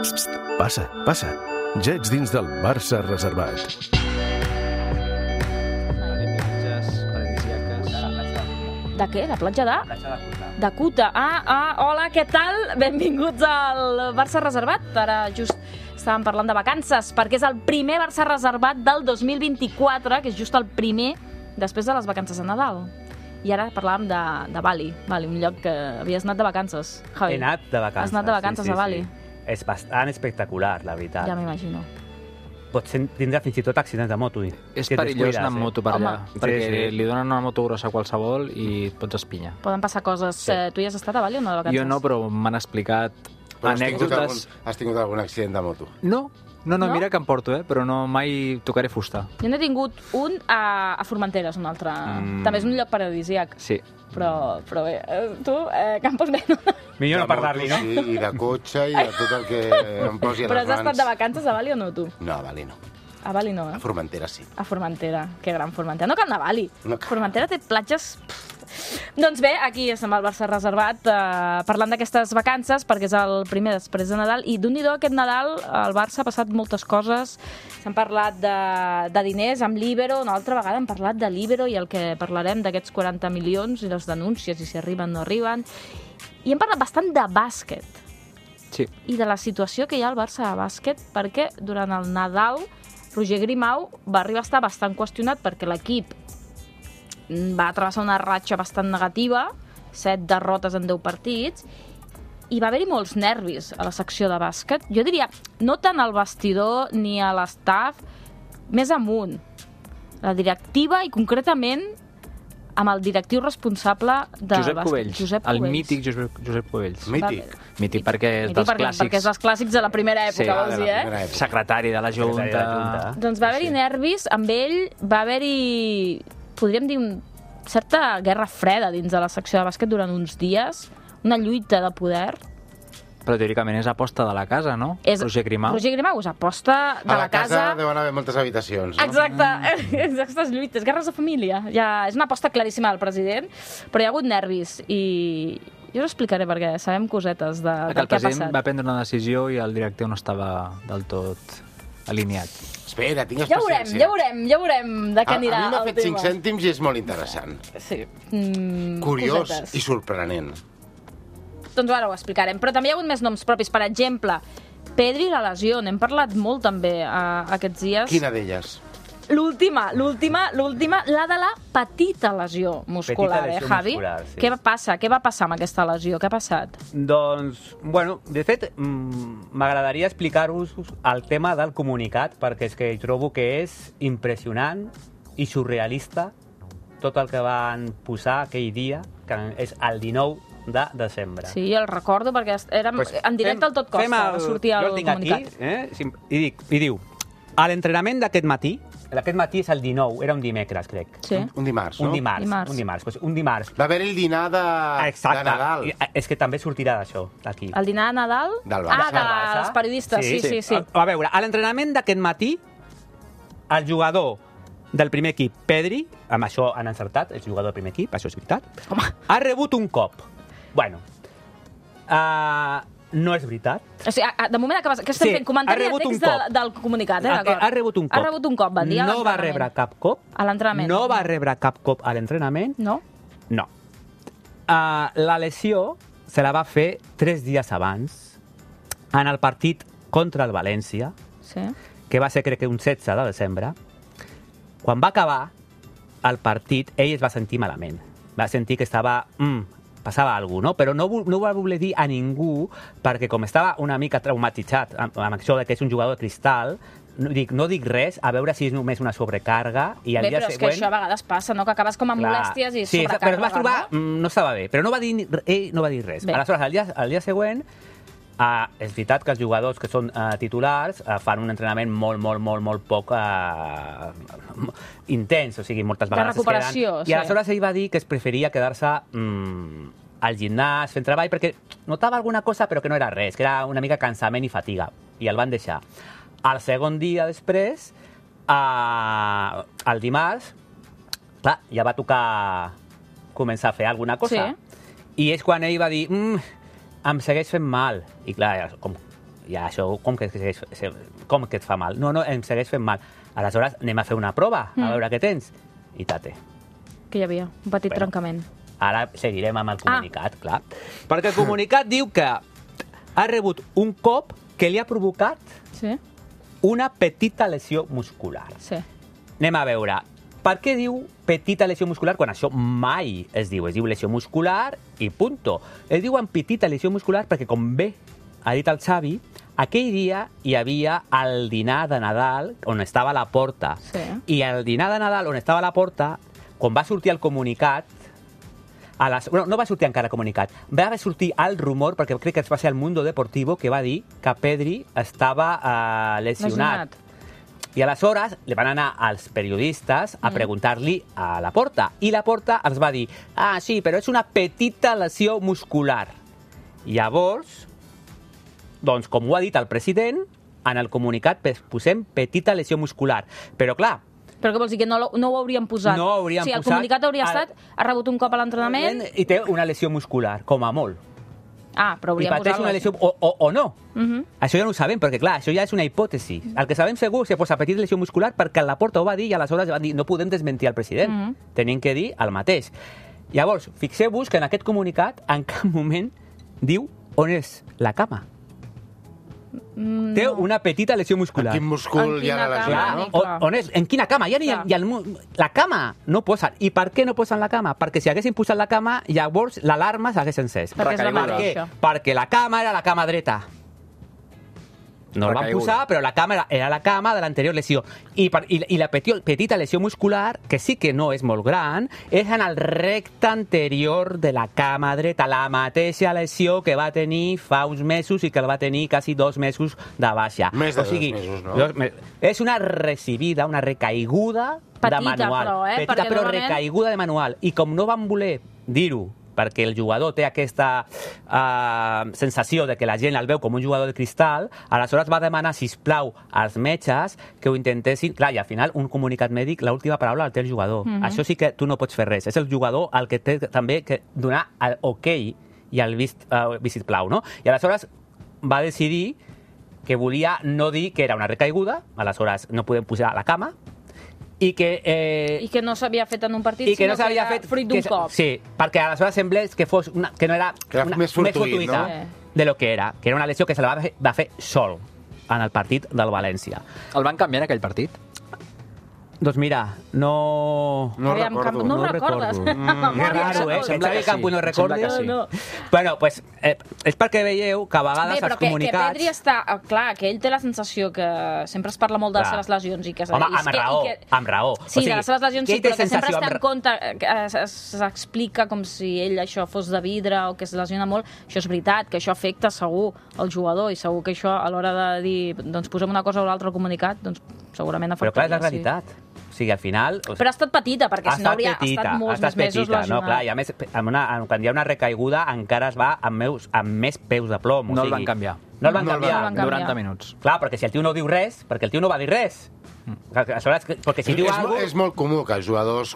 Passa, passa. Ja ets dins del Barça reservat. De què? De platja de? Platja de Cuta. De Cuta. Hola, què tal? Benvinguts al Barça reservat. Ara just estàvem parlant de vacances, perquè és el primer Barça reservat del 2024, que és just el primer després de les vacances de Nadal. I ara parlàvem de Bali, un lloc que havies anat de vacances, Javi. He anat de vacances. Has anat de vacances a Bali. És bastant espectacular, la veritat. Ja m'imagino. Pots tindre fins i tot accidents de moto. És perillós anar amb moto per allà, perquè li donen una moto grossa a qualsevol i et pots espinyar. Poden passar coses. Tu hi has estat a Bali o no de vacances? Jo no, però m'han explicat anècdotes. Has tingut algun accident de moto? No, mira que em porto, però no mai tocaré fusta. Jo n'he tingut un a Formentera, és un altre. També és un lloc paradisíac. Sí. Però bé, tu, Campos bé, no? Millor no parlar-li, no? Sí, i de cotxe i de tot el que em posi a les mans. Però has estat de vacances a Bali o no, tu? No, a Bali no. A Bali no, A Formentera sí. A Formentera, que gran Formentera. No cal anar a Bali. No cal. Formentera té platges... Doncs bé, aquí estem al Barça reservat parlant d'aquestes vacances, perquè és el primer després de Nadal, i d'un-i-do aquest Nadal el Barça ha passat moltes coses. S'han parlat de diners amb l'Ibero, una altra vegada hem parlat de l'Ibero i el que parlarem d'aquests 40 milions i les denúncies, i si arriben o no arriben. I hem parlat bastant de bàsquet. Sí. I de la situació que hi ha al Barça de bàsquet, perquè durant el Nadal Roger Grimau va arribar a estar bastant qüestionat perquè l'equip va travessar una ratxa bastant negativa, 7 derrotes en 10 partits, i va haver-hi molts nervis a la secció de bàsquet. Jo diria, no tant al vestidor ni a l'estaf, més amunt. La directiva i concretament amb el directiu responsable de Josep bàsquet. Cubells. El mític Josep Cubells. Mític. Mític perquè és dels clàssics. Perquè és dels clàssics de la primera època, vols dir, eh? Secretari de la Junta. Doncs va haver-hi nervis, amb ell va haver-hi, podríem dir, certa guerra freda dins de la secció de bàsquet durant uns dies, una lluita de poder. Però teòricament és aposta de la casa, no? Roger Grimau. Roger Grimau és aposta de la casa. A la casa deuen haver moltes habitacions, no? Exacte, aquestes lluites, guerres de família. Ja és una aposta claríssima del president, però hi ha hagut nervis i jo us explicaré perquè sabem cosetes del que ha passat. El president va prendre una decisió i el directiu no estava del tot alineat. Espera, tingues Ja paciència. veurem de què anirà A mi m'ha el fet 5 tema. cèntims i és molt interessant. Sí. Curiós Cosetes. i sorprenent. Doncs ara ho explicarem. Però també hi ha hagut més noms propis. Per exemple, Pedri i la lesió. N'hem parlat molt també aquests dies. Quina d'elles? L'última, la de la petita lesió muscular, Petita lesió Javi? muscular, sí. Què va passar? Què va passar amb aquesta lesió? Què ha passat? Doncs, bueno, de fet, m'agradaria explicar-vos el tema del comunicat, perquè és que trobo que és impressionant i surrealista tot el que van posar aquell dia, que és el 19 de desembre. Sí, el recordo, perquè érem en directe al tot costa, va sortir el jo el tinc comunicat. Aquí, i diu, a l'entrenament d'aquest matí és el 19, era un dimecres, crec. Sí. Un dimarts, no? Un dimarts. Va haver el dinar de Nadal. És que també sortirà d'això, d'aquí. El dinar de Nadal? Del Barça. Dels periodistes, sí. A veure, a l'entrenament d'aquest matí, el jugador del primer equip, Pedri, amb això han encertat, és jugador del primer equip, això és veritat, ha rebut un cop. Bueno, no és veritat. O sigui, de moment que estem fent comentari de text del comunicat, d'acord? Ha rebut un cop. Ha rebut un cop, van dir, a no va rebre cap cop. A l'entrenament. No va rebre cap cop a l'entrenament. No? No. La lesió se la va fer 3 dies abans, en el partit contra el València, Sí. que va ser, crec que, un 16 de desembre. Quan va acabar el partit, ell es va sentir malament. Va sentir que estava... passava alguna cosa, no? Però no ho va voler dir a ningú, perquè com estava una mica traumatitzat amb això de que és un jugador de cristal, no dic res, a veure si és només una sobrecàrdia, i al dia Però és següent... que això a vegades passa, no? Que acabes com amb molèsties i sí, sobrecàrrega. però es va trobar... No estava bé, però ell no va dir res. Bé. Aleshores, al dia següent, és veritat que els jugadors que són titulars fan un entrenament molt poc intens, o sigui, moltes vegades de recuperació, es queden... I aleshores ell va dir que es preferia quedar-se al gimnàs fent treball perquè notava alguna cosa però que no era res, que era una mica cansament i fatiga, i el van deixar. El segon dia després, el dimarts, clar, ja va tocar començar a fer alguna cosa. Sí. I és quan ell va dir, em segueix fent mal. I clar, com ja això com que et fa mal? No, em segueix fent mal. Aleshores, anem a fer una prova, a veure què tens. I tate. Que hi havia, un petit trencament. Ara seguirem amb el comunicat, clar. Perquè el comunicat diu que ha rebut un cop que li ha provocat una petita lesió muscular. Sí. Anem a veure. Per què diu petita lesió muscular quan això mai es diu? Es diu lesió muscular i punto. Es diu petita lesió muscular perquè, com bé ha dit el Xavi, aquell dia hi havia el dinar de Nadal on estava a la porta. Sí. I el dinar de Nadal on estava a la porta, quan va sortir el comunicat, no va sortir encara el comunicat, va sortir el rumor, perquè crec que va ser el Mundo Deportivo, que va dir que Pedri estava lesionat. I aleshores li van anar als periodistes a preguntar-li a Laporta. I Laporta els va dir, sí, però és una petita lesió muscular. Llavors, doncs, com ho ha dit el president, en el comunicat posem petita lesió muscular. Però, clar... Però què vols dir, que no ho hauríem posat? No ho hauríem posat. El comunicat hauria estat, ha rebut un cop a l'entrenament... I té una lesió muscular, com a molt. Però hauríem posat... I pateix una lesió o no. Això ja no ho sabem, perquè clar, això ja és una hipòtesi. El que sabem segur és que posa petita lesió muscular perquè la Porta ho va dir i aleshores van dir no podem desmentir el president. Tenim que dir el mateix. Llavors, fixeu-vos que en aquest comunicat en cap moment diu on és la cama. Té una petita lesió muscular. En quin múscul hi ha la lesió, no? On és? En quina cama? Ja ni la cama no posen. I per què no posen la cama? Perquè si haguessin posat la cama, llavors l'alarma s'hagués encès. Perquè és la mateixa. Perquè la cama era la cama dreta. No la van posar, però la cama era la cama de l'anterior lesió. I la petita lesió muscular, que sí que no és molt gran, és en el recte anterior de la cama dreta, la mateixa lesió que va tenir fa uns mesos i que el va tenir quasi 2 mesos de baixa. Més de 2 mesos, no? És una recibida, una recaiguda de manual. Petita, però recaiguda de manual. I com no van voler dir-ho, perquè el jugador té aquesta sensació de que la gent el veu com un jugador de cristal, aleshores va demanar, sisplau, als metges que ho intentessin... Clar, i al final, un comunicat mèdic, l'última paraula el té el jugador. Això sí que tu no pots fer res. És el jugador el que té també que donar el ok i el vistiplau, no? I aleshores va decidir que volia no dir que era una recaiguda, aleshores no podem posar a la cama, i que no s'havia fet en un partit, sinó que era fruit d'un cop. Sí, perquè aleshores semblés que no era més fortuït, no? De lo que era una lesió que se la va fer sol en el partit del València. El van canviar en aquell partit? Doncs mira, no recordo. No recordes? És raro, eh? Sembla que Campo no recordi. No. Bueno, pues, és perquè veieu que a vegades els comunicats... Bé, però que Pedri està... Clar, que ell té la sensació que sempre es parla molt de les seves lesions i que... Home, amb raó. Sí, de les seves lesions sí, però que sempre es té en compte, s'explica com si ell això fos de vidre o que es lesiona molt. Això és veritat, que això afecta segur el jugador i segur que això a l'hora de dir, doncs posem una cosa o l'altra al comunicat, doncs segurament afectaria. Però clar, és la realitat. O sigui, al final... Però ha estat petita, perquè si no hauria estat molts més mesos lesionat. No, clar, i a més, quan hi ha una recaiguda encara es va amb més peus de plom. No el van canviar. No el van canviar. 90 minuts. Clar, perquè si el tio no diu res, perquè el tio no va dir res. Perquè si diu alguna cosa... És molt comú que els jugadors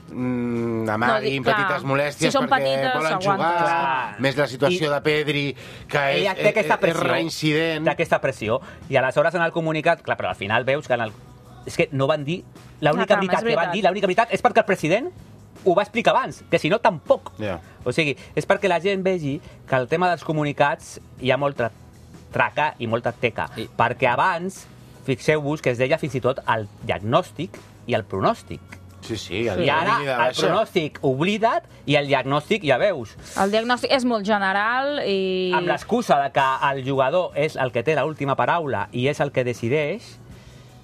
amaguin petites molèsties perquè volen jugar. Més la situació de Pedri, que és reincident. Té aquesta pressió. I aleshores en el comunicat, clar, però al final veus que és que no van dir... L'única veritat que van dir, l'única veritat és perquè el president ho va explicar abans, que si no, tampoc. O sigui, és perquè la gent vegi que el tema dels comunicats hi ha molta traca i molta teca. Perquè abans, fixeu-vos que es deia fins i tot el diagnòstic i el pronòstic. Sí, i ara el pronòstic oblida't i el diagnòstic ja veus. El diagnòstic és molt general i... Amb l'excusa de que el jugador és el que té l'última paraula i és el que decideix,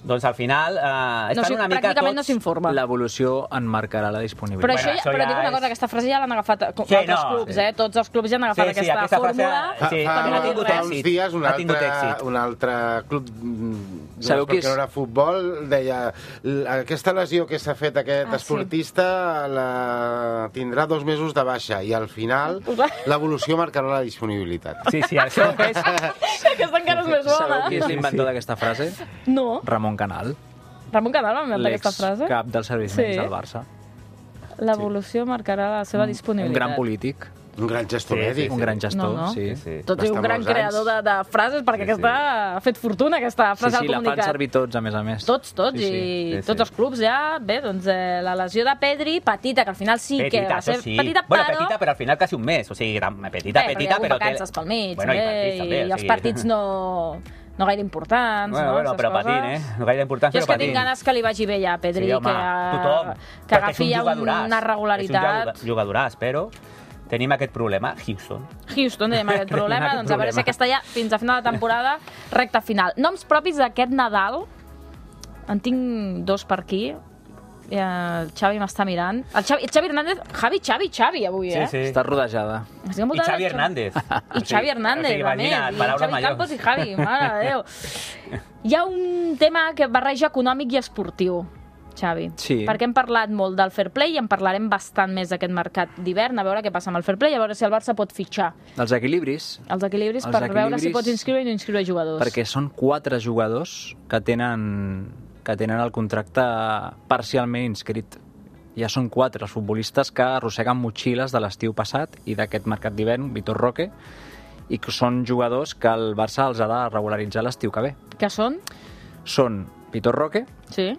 doncs al final estan una mica pràcticament tots... no s'informa. L'evolució en marcarà la disponibilitat. Però dic una cosa, aquesta frase ja l'han agafat altres clubs, eh? Tots els clubs ja han agafat aquesta fórmula. Fa uns dies un altre club, perquè no era futbol, deia aquesta lesió que s'ha fet aquest esportista la tindrà 2 mesos de baixa i al final l'evolució marcarà la disponibilitat. Sí, això és... Aquesta encara és més bona. Sabeu qui és l'inventor d'aquesta frase? No. Ramon Canal. Ramon Canal va inventar aquesta frase? L'ex-cap dels serveis mèdics del Barça. L'evolució marcarà la seva disponibilitat. Un gran polític. Un gran gestor mèdic. Un gran gestor, sí. Tot i un gran creador de frases, perquè aquesta ha fet fortuna, aquesta frase al comunicat. Sí, la fan servir tots, a més. Tots, i tots els clubs ja. Bé, doncs la lesió de Pedri, petita, que al final sí que va ser petita, però... Bueno, petita, però al final quasi un mes. O sigui, petita, però hi ha hagut vacances pel mig, i els partits no gaire importants, bueno, però patint, no gaire importants, però patint. Jo és que tinc ganes que li vagi bé ja a Pedri, que agafi ja una regularitat. És un jugadoràs, però tenim aquest problema. Houston, tenim aquest problema, doncs a veure si aquesta ja, fins a final de temporada, recta final. Noms propis d'aquest Nadal, en tinc dos per aquí. El Xavi m'està mirant. El Xavi Hernández... Xavi, avui, Sí. Està rodejada. I Xavi Hernández. I Xavi Hernández, Xavi Campos i Javi, mare de Déu. Hi ha un tema que barreja econòmic i esportiu, Xavi. Sí. Perquè hem parlat molt del fair play i en parlarem bastant més d'aquest mercat d'hivern, a veure què passa amb el fair play, a veure si el Barça pot fitxar. Els equilibris per veure si pots inscriure i no inscriure jugadors. Perquè són 4 jugadors que tenen el contracte parcialment inscrit. Ja són 4 els futbolistes que arrosseguen motxilles de l'estiu passat i d'aquest mercat d'hivern, Vitor Roque, i que són jugadors que el Barça els ha de regularitzar l'estiu que ve. Que són? Són Vitor Roque, sí.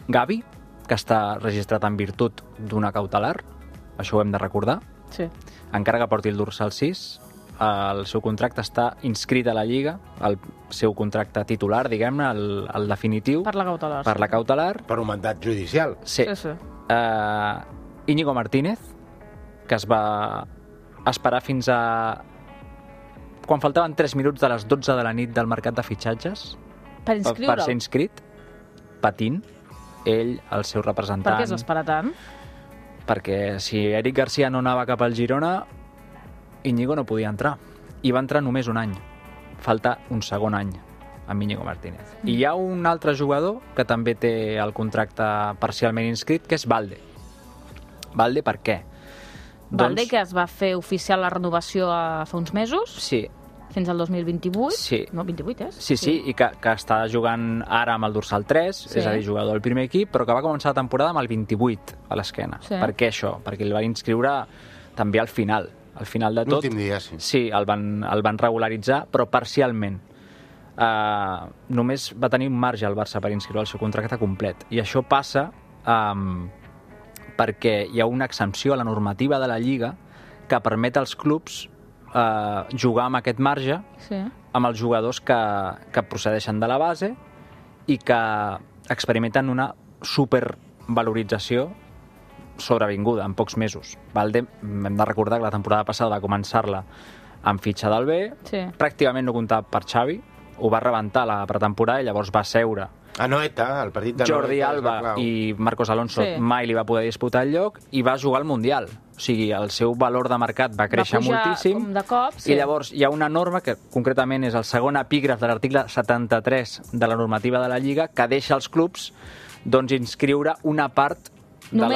Gavi, que està registrat en virtut d'una cautelar, això ho hem de recordar, sí. Encara que porti el dorsal 6, el seu contracte està inscrit a la Lliga, el seu contracte titular, diguem-ne, el definitiu. Per la cautelar. Per la cautelar. Per un mandat judicial. Sí. Íñigo Martínez, que es va esperar fins a... quan faltaven 3 minuts de les 12 de la nit del mercat de fitxatges. Per inscriure'l. Per ser inscrit, patint, ell, el seu representant... Per què es va esperar tant? Perquè si Eric Garcia no anava cap al Girona, Íñigo no podia entrar. I va entrar només un any. Falta un segon any amb Íñigo Martínez. I hi ha un altre jugador que també té el contracte parcialment inscrit, que és Valde. Valde per què? Valde, que es va fer oficial la renovació fa uns mesos. Sí. Fins al 2028. Sí. No, 28, és? Sí, i que està jugant ara amb el dorsal 3, és a dir, jugador del primer equip, però que va començar la temporada amb el 28 a l'esquena. Sí. Per què això? Perquè el van inscriure també al final de tot. L'últim dia, sí. Sí, el van regularitzar, però parcialment. Només va tenir un marge el Barça per inscriure el seu contracte complet. I això passa perquè hi ha una exempció a la normativa de la Lliga que permet als clubs jugar amb aquest marge amb els jugadors que procedeixen de la base i que experimenten una supervalorització sobrevinguda en pocs mesos. Valde, hem de recordar que la temporada passada va començar-la amb fitxa del B, pràcticament no comptava per Xavi, ho va rebentar la pretemporada i llavors va seure Anoeta, el partit de Jordi Alba i Marcos Alonso mai li va poder disputar el lloc i va jugar al Mundial. O sigui, el seu valor de mercat va créixer moltíssim. De cop, I llavors hi ha una norma que concretament és el segon epígraf de l'article 73 de la normativa de la Lliga que deixa als clubs inscriure una part de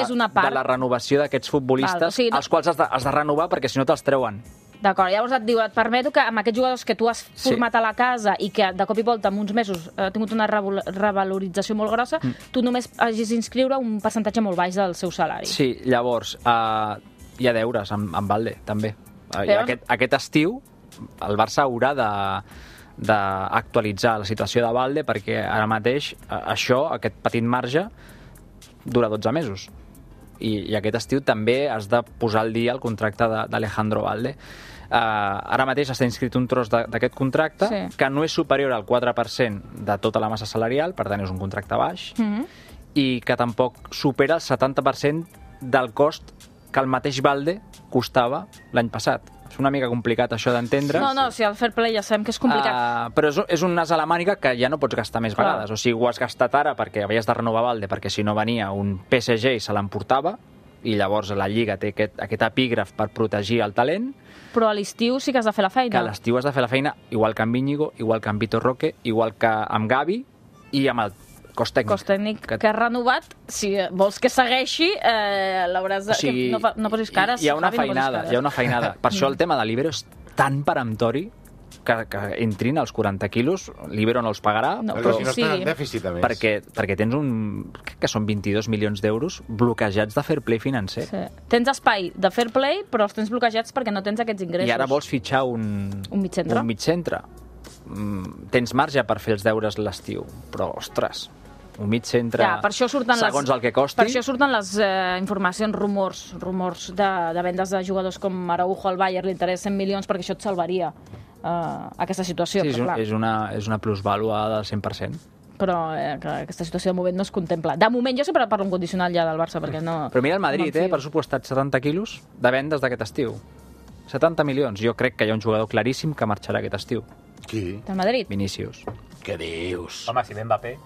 la renovació d'aquests futbolistes, els quals has de renovar perquè si no te'ls treuen. D'acord, llavors et diu, et permeto que amb aquests jugadors que tu has format a la casa i que de cop i volta en uns mesos ha tingut una revalorització molt grossa, tu només hagis d'inscriure un percentatge molt baix del seu salari. Sí, llavors hi ha deures amb Valde, també. Aquest estiu el Barça haurà d'actualitzar la situació de Valde perquè ara mateix aquest petit marge, dura 12 mesos. I aquest estiu també has de posar al dia el contracte d'Alejandro Valde. Ara mateix està inscrit un tros d'aquest contracte que no és superior al 4% de tota la massa salarial, per tant és un contracte baix, i que tampoc supera el 70% del cost que el mateix Valde costava l'any passat. És una mica complicat això d'entendre. No, si el fair play ja sabem que és complicat. Però és un as a la màniga que ja no pots gastar més vegades. O sigui, ho has gastat ara perquè havies de renovar Valde, perquè si no venia un PSG i se l'emportava, i llavors la Lliga té aquest epígraf per protegir el talent. Però a l'estiu sí que has de fer la feina. Que a l'estiu has de fer la feina, igual que amb Íñigo, igual que amb Vitor Roque, igual que amb Gavi i amb el cos tècnic. Cos tècnic que ha renovat. Si vols que segueixi, l'hauràs de... O sigui, no posis cares. Hi ha una feinada. Per això el tema de l'Ibero és tan peremptori que entrin als 40 quilos, l'Ibero no els pagarà, però si no estan en dèficit, a més. Perquè tens crec que són 22 milions d'euros bloquejats de fair play financer. Sí. Tens espai de fair play, però els tens bloquejats perquè no tens aquests ingressos. I ara vols fitxar un mig centre. Tens marge per fer els deures l'estiu, però, ostres, un mig centre, segons el que costi... Per això surten les informacions, rumors de vendes de jugadors com Araujo al Bayern, li interessa 100 milions perquè això et salvaria aquesta situació. Sí, és una plusvàlua del 100%. Però aquesta situació de moment no es contempla. De moment, jo sempre parlo un condicional ja del Barça, perquè no... Però mira el Madrid, pressupostat 70 quilos de vendes d'aquest estiu. 70 milions. Jo crec que hi ha un jugador claríssim que marxarà aquest estiu. Qui? Del Madrid? Vinícius. Què dius? Home, si ve Mbappé...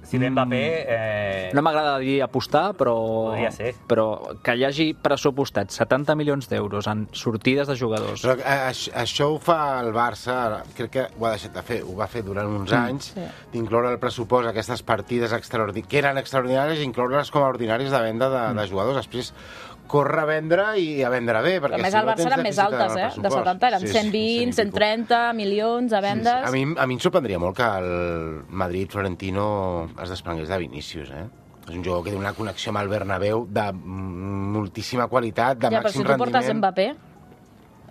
Si ve Mbappé... No m'agrada dir apostar, però que hi hagi pressupostat 70 milions d'euros en sortides de jugadors. Però això ho fa el Barça, crec que ho ha deixat de fer, ho va fer durant uns anys, d'incloure el pressupost aquestes partides que eren extraordinàries i incloure-les com a ordinàries de venda de jugadors. Després córrer a vendre i a vendre bé. A més, al Barça eren més altes, de 70, eren 120, 130 milions a vendes. A mi em sorprendria molt que el Madrid Florentino es desprengués de Vinícius, És un jugador que té una connexió amb el Bernabéu de moltíssima qualitat, de màxim rendiment. Ja, però si tu portes Mbappé,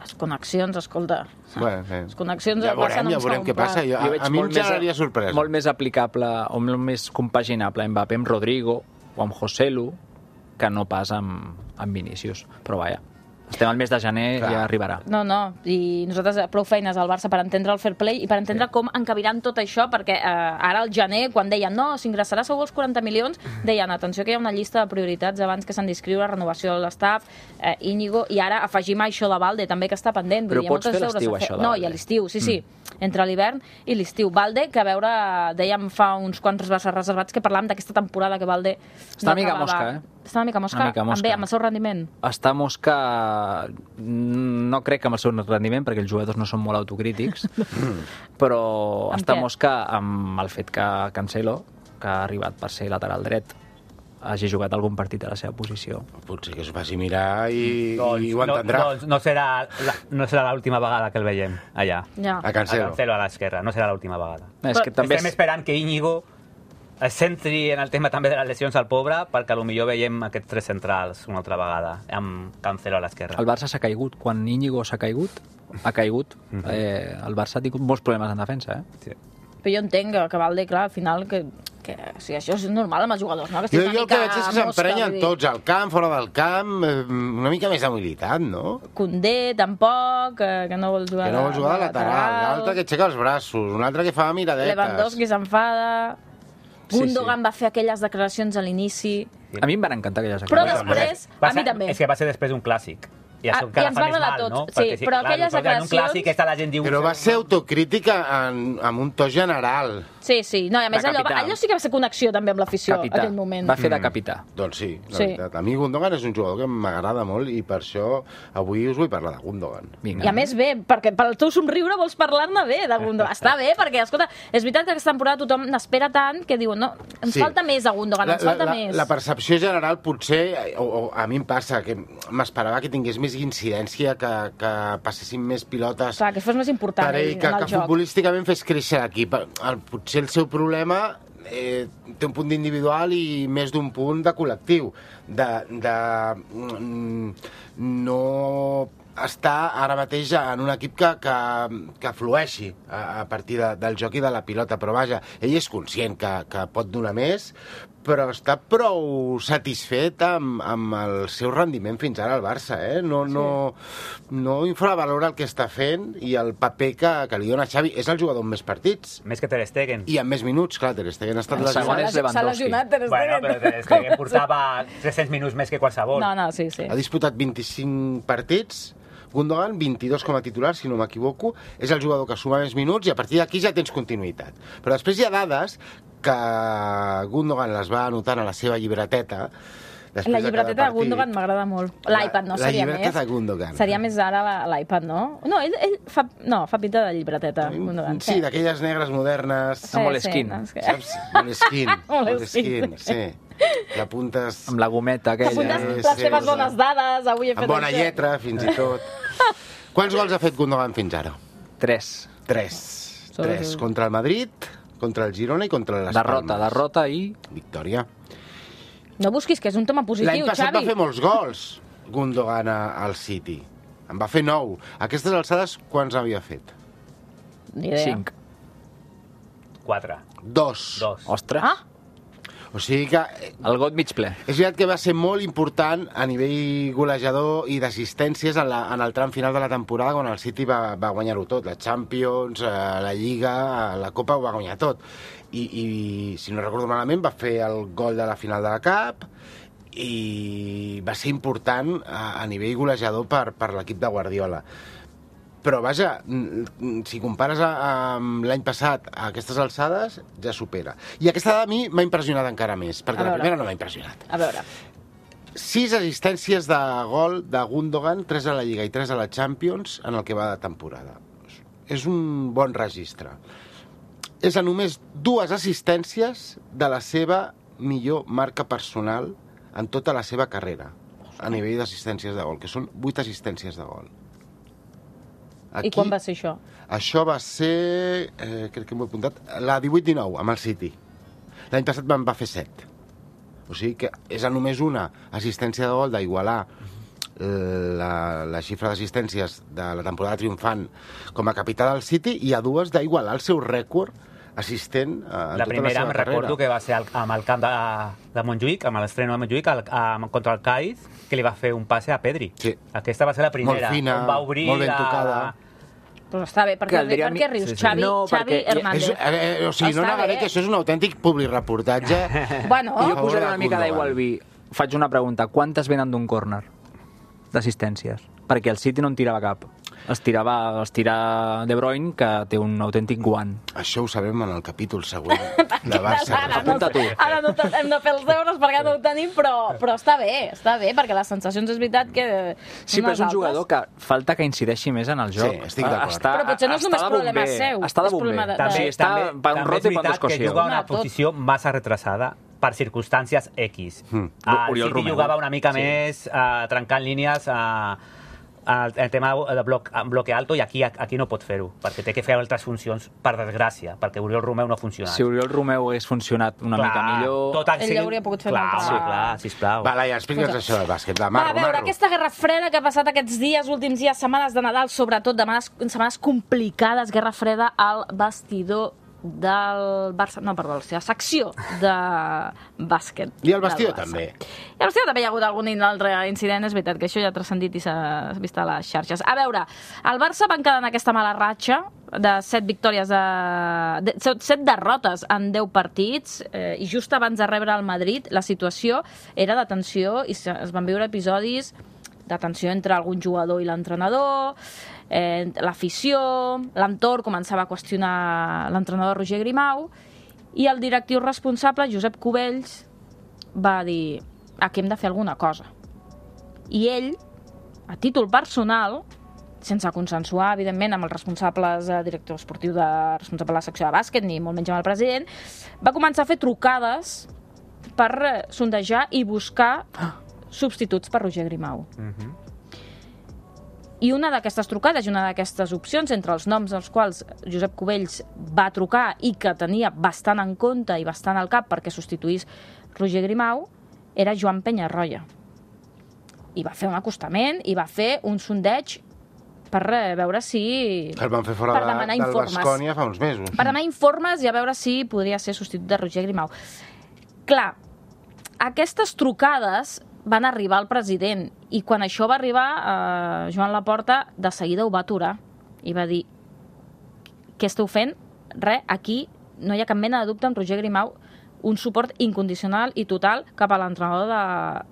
les connexions, escolta... Les connexions ja veurem què passa. A mi em generaria sorpresa. Molt més aplicable o molt més compaginable Mbappé amb Rodrigo o amb Joselu que no pas amb Vinícius. Però vaja, estem al mes de gener, ja arribarà. No, i nosaltres prou feines al Barça per entendre el fair play i per entendre com encabiran tot això, perquè ara al gener, quan deien no, s'ingressarà segur els 40 milions, deien, atenció que hi ha una llista de prioritats abans que s'han d'inscriure, renovació de l'estaf, Íñigo, i ara afegim això de Valde, també que està pendent. Però pots fer l'estiu, això de Valde? No, i a l'estiu, sí, entre l'hivern i l'estiu. Valde, que a veure, dèiem fa uns quants reservats que parlàvem d'aquesta temporada que Valde... Està una mica mosca, Està una mica mosca, amb el seu rendiment. Està mosca, no crec que amb el seu rendiment, perquè els jugadors no són molt autocrítics, però està mosca amb el fet que Cancelo, que ha arribat per ser lateral dret, hagi jugat algun partit a la seva posició. Potser que es faci mirar i ho entendrà. No serà l'última vegada que el veiem allà. A Cancelo. A Cancelo a l'esquerra, no serà l'última vegada. Estem esperant que Íñigo es centri en el tema també de les lesions al pobre, perquè potser veiem aquests tres centrals una altra vegada, amb Cancelo a l'esquerra. El Barça s'ha caigut. Quan Íñigo ha caigut, el Barça ha tingut molts problemes en defensa. Sí. Però jo entenc que Valde, clar, al final, que això és normal amb els jugadors, no? Jo el que veig és que s'emprenyen tots, al camp, fora del camp, una mica més d'humilitat, no? Koundé, tampoc, que no vol jugar de lateral, l'altre que aixeca els braços, un altre que fa miradetes. Lewandowski s'enfada... Gundogan va fer aquelles declaracions a l'inici... A mi em van encantar aquelles declaracions. Però després, a mi també. És que va ser després d'un clàssic. I ens va agradar a tots, sí, però aquelles declaracions... Però va ser autocrítica amb un to general. Sí, no, i a més allò sí que va ser connexió també amb l'afició, en aquell moment. Va fer de capità. Doncs sí, la veritat. A mi Gundogan és un jugador que m'agrada molt i per això avui us vull parlar de Gundogan. I a més bé, perquè pel teu somriure vols parlar-ne bé de Gundogan. Està bé, perquè, escolta, és veritat que aquesta temporada tothom n'espera tant que diuen, no, ens falta més a Gundogan, ens falta més. La percepció general potser, o a mi em passa, que m'esperava que tingués més incidència, que passessin més pilotes... Clar, que fos més important en el joc. Que futbolísticament fes créixer l'equip. Potser el seu problema té un punt d'individual i més d'un punt de col·lectiu. De no està ara mateix en un equip que flueixi a partir del joc i de la pilota. Però vaja, ell és conscient que pot donar més, però està prou satisfet amb el seu rendiment fins ara al Barça, no infravalora el que està fent i el paper que li dona Xavi. És el jugador amb més partits. Més que Ter Stegen. I amb més minuts, clar, Ter Stegen ha estat lesionat. El segon és Lewandowski. Bueno, però Ter Stegen portava 300 minuts més que qualsevol. No, sí. Ha disputat 25 partits, Gundogan, 22 com a titular, si no m'equivoco, és el jugador que suma més minuts i a partir d'aquí ja tens continuïtat. Però després hi ha dades que Gundogan les va anotant a la seva llibreteta. La llibreteta de Gundogan m'agrada molt. L'iPad, no? Seria més. La llibreta de Gundogan. Seria més ara l'iPad, no? No, ell fa pinta de llibreteta, Gundogan. Sí, d'aquelles negres modernes. Moleskine. Saps? Moleskine, sí. Que apuntes... Amb la gometa aquella. Que apuntes les teves bones dades. Avui he fet amb bona lletra, fins i tot. Quants gols ha fet Gundogan fins ara? 3. 3 contra el Madrid, contra el Girona i contra les Palmes. Derrota i... victòria. No busquis, que és un tema positiu, Xavi. L'any passat va fer molts gols Gundogan al City. En va fer 9. A aquestes alçades, quants havia fet? Ni idea. 5. 4. 2. Ostres. O sigui que... El got mig ple. És veritat que va ser molt important a nivell golejador i d'assistències en el tram final de la temporada, quan el City va guanyar-ho tot. La Champions, la Lliga, la Copa ho va guanyar tot. I si no recordo malament, va fer el gol de la final de la Cup i va ser important a nivell golejador per l'equip de Guardiola. Però, vaja, si compares amb l'any passat a aquestes alçades, ja supera. I aquesta dada a mi m'ha impressionat encara més, perquè la primera no m'ha impressionat. A veure. 6 assistències de gol de Gundogan, 3 a la Lliga i 3 a la Champions en el que va de temporada. És un bon registre. És a només 2 assistències de la seva millor marca personal en tota la seva carrera, a nivell d'assistències de gol, que són 8 assistències de gol. I quan va ser això? Això va ser, crec que m'ho he apuntat, la 18-19, amb el City. L'any passat va fer 7. O sigui que és a només una assistència de gol d'igualar la xifra d'assistències de la temporada triomfant com a capità del City i a 2 d'igualar el seu rècord assistent en tota la seva carrera. La primera em recordo que va ser amb el camp de Montjuïc, amb l'estreno de Montjuïc, contra el Cádiz, que li va fer un passe a Pedri. Sí. Aquesta va ser la primera. Molt fina, on va obrir molt ben tocada. Però està bé, perquè rius, sí. Xavi, no, Xavi Hernández. O sigui, no negaré que això és un autèntic publireportatge. Bueno. Jo posaré una mica d'aigua al vi. Faig una pregunta. Quantes venen d'un córner d'assistències? Perquè el City no en tirava cap. Es tira De Bruyne, que té un autèntic guant. Això ho sabem en el capítol següent de Barça. Apunta tu. Ara no hem de fer els deures perquè no ho tenim, però està bé, perquè les sensacions és veritat que... Sí, però és un jugador que falta que incideixi més en el joc. Sí, estic d'acord. Però potser no és només problema seu. Està de bomber. També està per un rot i per un que juga una posició massa retrasada per circumstàncies X. El City jugava una mica més trencant línies el tema de bloque alto, i aquí no pot fer-ho, perquè té que fer altres funcions, per desgràcia, perquè Oriol Romeu no ha funcionat. Si Oriol Romeu hagués funcionat una mica millor... Ell hauria pogut fer una altra. Clar, sisplau. Va, Laia, explica'ns això del bàsquet. Va, a veure, aquesta guerra freda que ha passat aquests dies, últims dies, setmanes de Nadal, sobretot, setmanes complicades, guerra freda al vestidor del Barça, no, perdó, la secció de bàsquet. I el vestidor també. I al vestidor també hi ha hagut algun altre incident, és veritat que això ja ha transcendit i s'ha vist a les xarxes. A veure, el Barça van quedar en aquesta mala ratxa de 7 victòries, 7 derrotes en 10 partits, i just abans de rebre el Madrid la situació era de tensió i es van viure episodis de tensió entre algun jugador i l'entrenador, l'afició, l'entorn començava a qüestionar l'entrenador Roger Grimau, i el directiu responsable, Josep Cubells, va dir: aquí hem de fer alguna cosa. I ell, a títol personal, sense consensuar, evidentment, amb els responsables, director esportiu, responsable de la secció de bàsquet, ni molt menys amb el president, va començar a fer trucades per sondejar i buscar substituts per Roger Grimau. I una d'aquestes trucades i una d'aquestes opcions, entre els noms dels quals Josep Cubells va trucar i que tenia bastant en compte i bastant al cap perquè substituís Roger Grimau, era Joan Peñarroya. I va fer un acostament i va fer un sondeig per veure si... El van fer fora del Baskonia fa uns mesos. Per demanar informes i a veure si podria ser substitut de Roger Grimau. Clar, aquestes trucades van arribar al president, i quan això va arribar, Joan Laporta de seguida ho va aturar i va dir: què esteu fent? Res, aquí no hi ha cap mena de dubte amb Roger Grimau, un suport incondicional i total cap a l'entrenador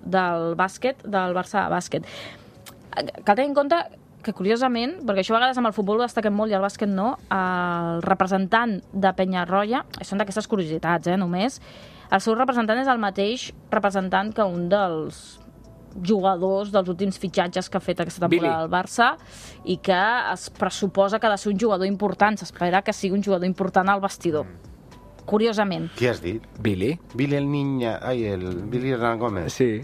del bàsquet, del Barça Bàsquet. Cal tenir en compte que, curiosament, perquè això a vegades amb el futbol ho destaquem molt i el bàsquet no, el representant de Peñarroya, són d'aquestes curiositats, només, el seu representant és el mateix representant que un dels jugadors dels últims fitxatges que ha fet aquesta temporada al Barça, i que es pressuposa que ha de ser un jugador important, s'espera que sigui un jugador important al vestidor. Curiosament. Qui has dit? Billy. Billy el Niña... Ai, el Billy Hernán Gómez. Sí.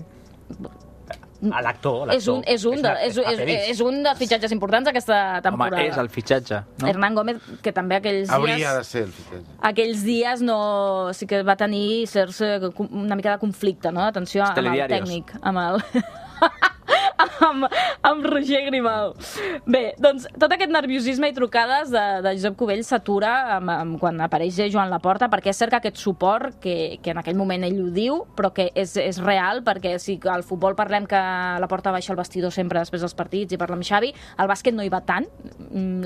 L'actor. És un dels fitxatges importants aquesta temporada. Home, és el fitxatge, no? Hernán Gómez, que també aquells dies... Hauria de ser el fitxatge. Aquells dies sí que va tenir una mica de conflicte, no? Atenció amb el tècnic, amb Roger Grimau. Bé, doncs tot aquest nerviosisme i trucades de Josep Cubell s'atura quan apareix Joan Laporta, perquè és cert que aquest suport, que en aquell moment ell ho diu, però que és real, perquè si al futbol parlem que Laporta baixa al vestidor sempre després dels partits i parla amb Xavi, al bàsquet no hi va tant,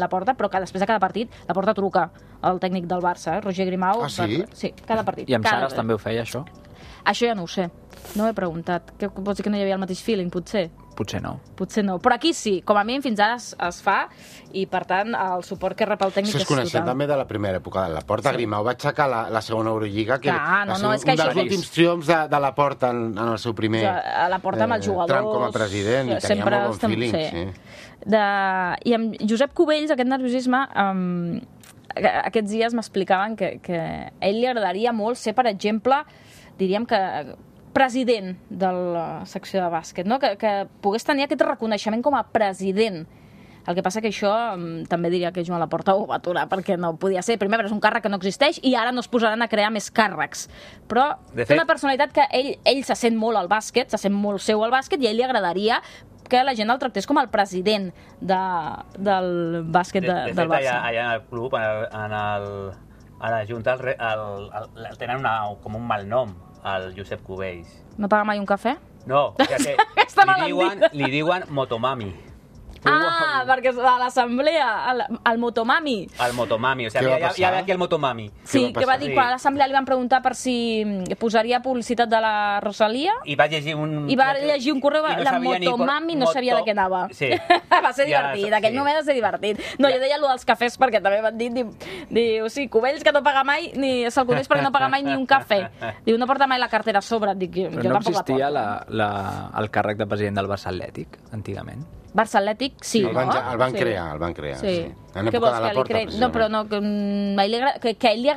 Laporta, però que després de cada partit Laporta truca al tècnic del Barça, Roger Grimau. Ah, sí? Sí, cada partit. I amb Saras també ho feia, això? Això ja no ho sé. No ho he preguntat. Què vols dir, que no hi havia el mateix feeling, potser? Potser no. Potser no. Però aquí sí. Com a mínim fins ara es fa i, per tant, el suport que rep el tècnic és total. Coneixem també de la primera època de Laporta. Sí. Grimau va aixecar la segona Eurolliga, que va ser un dels últims triomfs de Laporta en el seu primer Laporta amb els jugadors, tram com a president, i tenia molt bon feeling. Sí. I amb Josep Cubells, aquest nerviosisme, aquests dies m'explicaven que a ell li agradaria molt ser, per exemple, diríem que president de la secció de bàsquet, no? Que pogués tenir aquest reconeixement com a president. El que passa que això també diria que Joan Laporta ho va aturar, perquè no podia ser. Primer, és un càrrec que no existeix i ara no es posaran a crear més càrrecs. Però té una personalitat que ell se sent molt al bàsquet, se sent molt seu al bàsquet, i a ell li agradaria que la gent el tractés com el president del bàsquet del Barça. Allà en el club, a la Junta, tenen com un mal nom, el Josep Cubells. No paga mai un cafè? No, li diuen Motomami. Ah, perquè a l'assemblea, el Motomami. El Motomami, o sigui, hi ha aquí el Motomami. Sí, que va dir, quan a l'assemblea li van preguntar per si posaria publicitat de la Rosalia, i va llegir un correu, la Motomami no sabia de què anava. Sí. Va ser divertit, aquell moment va ser divertit. No, jo deia allò dels cafès perquè també m'han dit, diu, sí, Cubells que no paga mai, se'l coneix perquè no paga mai ni un cafè. Diu, no porta mai la cartera a sobre. Dic, jo tampoc la porto. Però no existia el càrrec de president del Barça Atlètic, antigament? Barça Atlètic, sí. El van crear. Sí. En època de Laporta, precisament. No, però no, que a ell li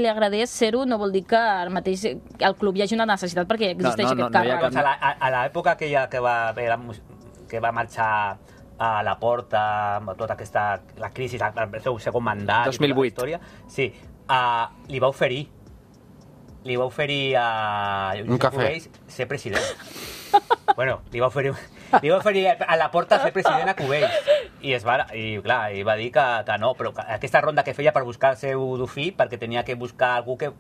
agradés ser-ho no vol dir que ara mateix al club hi hagi una necessitat, perquè existeix aquest càrrec. A l'època que va marxar a Laporta, amb tota la crisi, el seu segon mandat... 2008. Sí, li va oferir a Josep Cubells ser president. Bueno, li va oferir a Laporta ser president a Cubells. I va dir que no, però aquesta ronda que feia per buscar el seu dofí, perquè tenia que buscar algú que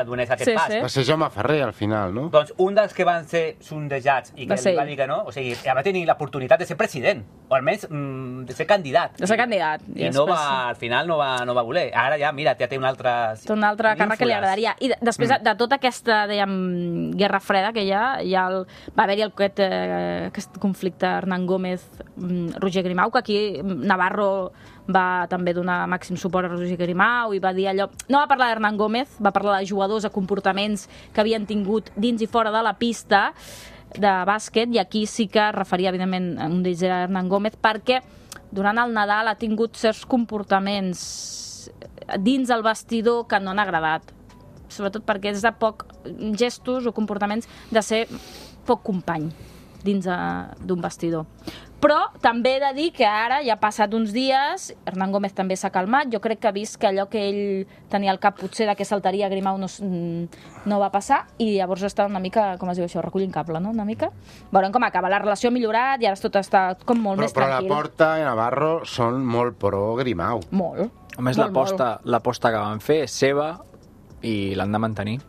donés aquest pas. Va ser Jaume Ferrer, al final, no? Doncs un dels que van ser sondejats i que li va dir que no, o sigui, va tenir l'oportunitat de ser president, o almenys de ser candidat. I al final no va voler. Ara ja, mira, ja té un altre... Té un altre càrrec que li agradaria. I després de tota aquesta, dèiem, guerra freda que va haver-hi aquest conflicte Hernán Gómez-Roger Grimau, que aquí Navarro va també donar màxim suport a Roger Grimau i va dir allò... No va parlar d'Hernán Gómez, va parlar de jugadors, de comportaments que havien tingut dins i fora de la pista de bàsquet, i aquí sí que es referia, evidentment, un d'ells era Hernán Gómez, perquè durant el Nadal ha tingut certs comportaments dins el vestidor que no han agradat. Sobretot perquè és de poc gestos o comportaments de ser poc company dins d'un vestidor. Però també he de dir que ara ja ha passat uns dies, Hernán Gómez també s'ha calmat, jo crec que ha vist que allò que ell tenia al cap potser de que saltaria Grimau no va passar, i llavors està una mica, com es diu això, recollint cable, no? Una mica. Veurem com acaba. La relació ha millorat i ara tot està com molt més tranquil. Però Laporta i Navarro són molt pro Grimau. Molt. A més, l'aposta que van fer és seva i l'han de mantenir.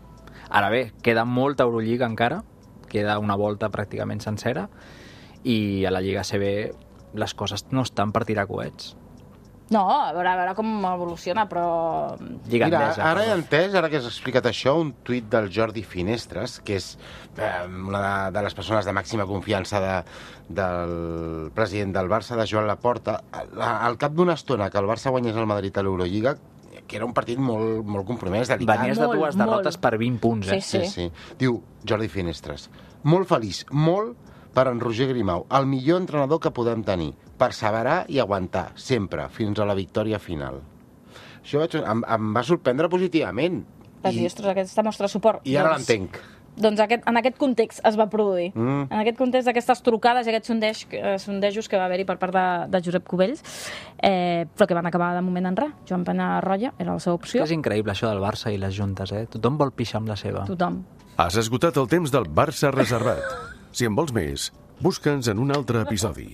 Ara bé, queda molta Eurolliga encara, queda una volta pràcticament sencera, i a la Lliga CB les coses no estan per tirar coets. No, a veure com evoluciona, però... Mira, ara he entès, ara que has explicat això, un tuit del Jordi Finestres, que és una de les persones de màxima confiança del president del Barça, de Joan Laporta. Al cap d'una estona que el Barça guanyés el Madrid a l'Eurolliga, que era un partit molt compromès, delicat. Venies de dues derrotes per 20 punts, eh? Sí. Diu Jordi Finestres, molt feliç, molt per en Roger Grimau, el millor entrenador que podem tenir, perseverar i aguantar, sempre, fins a la victòria final. Això em va sorprendre positivament. Vas dir, ostres, aquesta mostra suport. I ara l'entenc. Doncs en aquest context es va produir. En aquest context d'aquestes trucades i aquests sondejos que va haver-hi per part de Josep Cubells, però que van acabar de moment en res. Joan Penarroya era la seva opció. És increïble això del Barça i les juntes, Tothom vol pixar amb la seva. Tothom. Has esgotat el temps del Barça reservat. Si en vols més, busca'ns en un altre episodi.